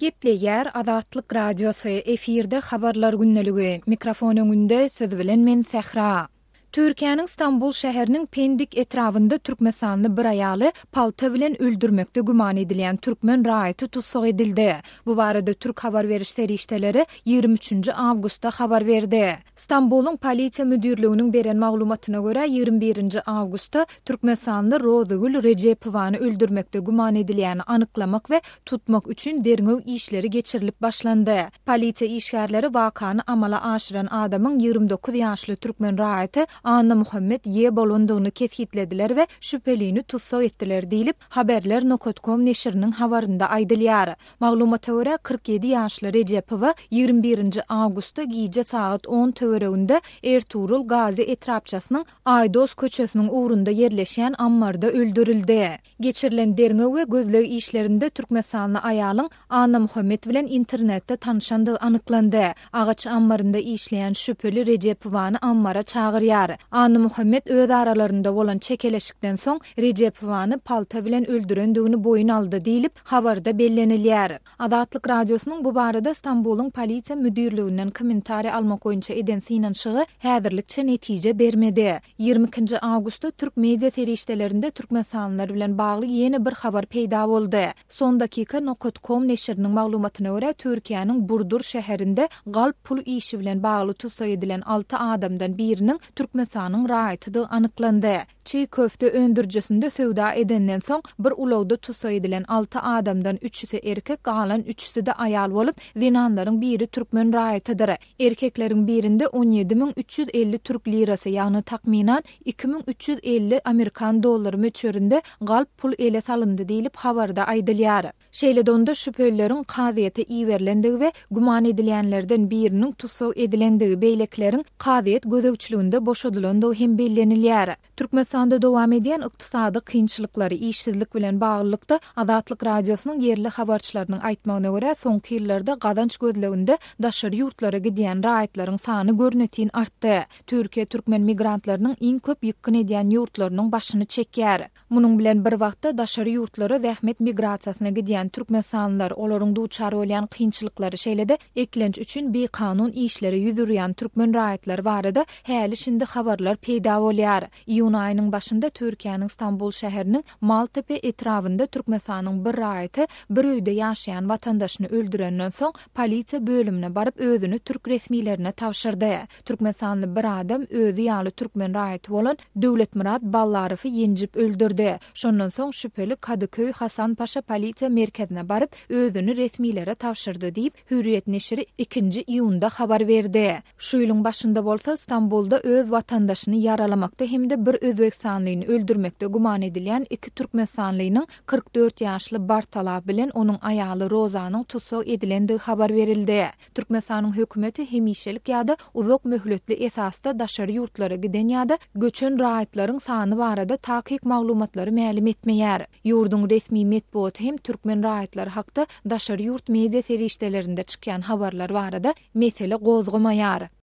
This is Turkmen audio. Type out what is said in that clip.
Gepleýär Azatlyk Radiosy, efirde Habarlar gündeligi. Mikrofon öňünde siz bilen men Sähra. Türkiýäniň Stambul şäheriniň Pendik etrabynda türkmenistanly bir aýaly palta bilen öldürmekde güman edilýän türkmen raýaty tussag edildi. Bu barada türk habar beriş serişdeleri ýigrimi üçünji awgustda habar berdi. Stambulyň Polisiýa müdirliginiň beren maglumatyna görä, ýigrimi birinji awgustda türkmenistanly Rozygül Rejepowany öldürmekde güman edilýäni anyklamak we tutmak üçin derňew işleri geçirilip başlandy. Polisiýa işgärleri wakany amala aşyran adamyň 29 ýaşly türkmen raýaty Annamuhammet Ýe bolandygyny kesgitlediler we şübhelini tussag etdiler diýlip, Haberler nokat kom neşiriniň habarynda aýdylýar. Maglumata görä, 47 ýaşly Rejepowa ýigrimi birinji awgustda gije sagat on töwereginde Ertugrul Gazi etrapçasynyň Aýdos köçesiniň ugrunda ýerleşýän ammarda öldürildi. Geçirilen derňew we gözleg işlerinde türkmenistanly aýalyň Annamuhammet bilen internetde tanyşandygy anyklandy. Agaç ammarynda işleýän şübheli Rejepowany ammara çagyrýar. Annamuhammet öz aralarynda bolan çekeleşikden soň Rejepowany palta bilen öldürendigini boýun aldy diýlip, habarda bellenilýär. Azatlyk Radiosynyň bu barada Stambulyň Polisiýa müdirliginden kommentariý almak boýunça eden synanyşygy häzirlikçe netije bermedi. Ýigrimi ikinji awgustda türk media serişdelerinde türkmenistanlylar bilen bagly ýene bir habar peýda boldy. Son dakika nokat kom neşiriniň maglumatyna görä, Türkiýäniň Burdur şäherinde galp pul işi bilen bagly tussag edilen alty adamdan biriniň Türkmenistanyň raýatydygy anyklandy. Çig köfte öndürijisinde söwda edenden soň, bir ulagda tussag edilen alty adamdan üçüsi erkek, galan üçüsi-de aýal bolup, zenanlaryň biri türkmen raýatydyr. Erkekleriň birinde 17 350 türk lirasy, ýagny takmynan 2350 amerikan dollary möçberinde galp pul ele salyndy diýlip, habarda aýdylýar. Şeýle-de onda şübhelileriň kazyýete iberilendigi we güman edilýänlerden biriniň tussag edilendigi, beýlekileriň kazyýet gözegçiliginde boşadylandygy hem bellenilýär. Türkmenistanda dowam edýän ykdysady kynçylyklary, işsizlik bilen baglylykda, Azatlyk Radiosynyň ýerli habarçylarynyň aýtmagyna görä, soňky ýyllarda gazanç gözleginde daşary ýurtlara gidýän raýatlaryň sany görnetin artdy. Türkiýe türkmen migrantlarynyň iň köp ýykgyn edýän ýurtlarynyň başyny çekýär. Munuň bilen bir wagtda, daşary ýurtlara zähmet migrasiýasyna gidýän türkmenistanlylar, olaryň duçar bolýan kynçylyklary, şeýle-de eklenç üçin bikanun işlere ýüz urýan türkmen raýatlary barada häli-şindi habarlar peýda bolýar. Iýun aýynyň başynda Türkiýäniň Stambul şäheriniň Maltepe etrabynda Türkmenistanyň bir raýaty bir öýde ýaşaýan watandaşyny öldürenden soň, polisiýa bölümine baryp özüni türk resmilerine tabşyrdy. Türkmenistanly bir adam özi ýaly türkmen raýaty bolan Döwletmyrat Ballarowy ýenjip öldürdi. Şondan soň şübheli Kadyköý Hasanpaşa polisiýa merkezine baryp, özüni resmilere tabşyrdy diýip, Hürriýet neşiri ikinji iýunda habar berdi. Şu ýylyň başynda bolsa Stambulda öz watandaşyny ýaralamakda hem-de bir özbegistanlyny öldürmekde güman edilýän iki türkmenistanlynyň 44 ýaşly Bartala bilen onuň aýaly Rozanyň tussag edilendigi habar berildi. Türkmenistanyň hökümeti hemişelik ýa-da uzak möhletli esasda daşary ýurtlara giden ýa-da göçen raýatlaryň sany barada takyk maglumatlary mälim etmeýär. Ýurduň resmi metbugaty hem türkmen raýatlary hakda daşary ýurt media serişdelerinde çykýan habarlar barada mesele gozgamaýar.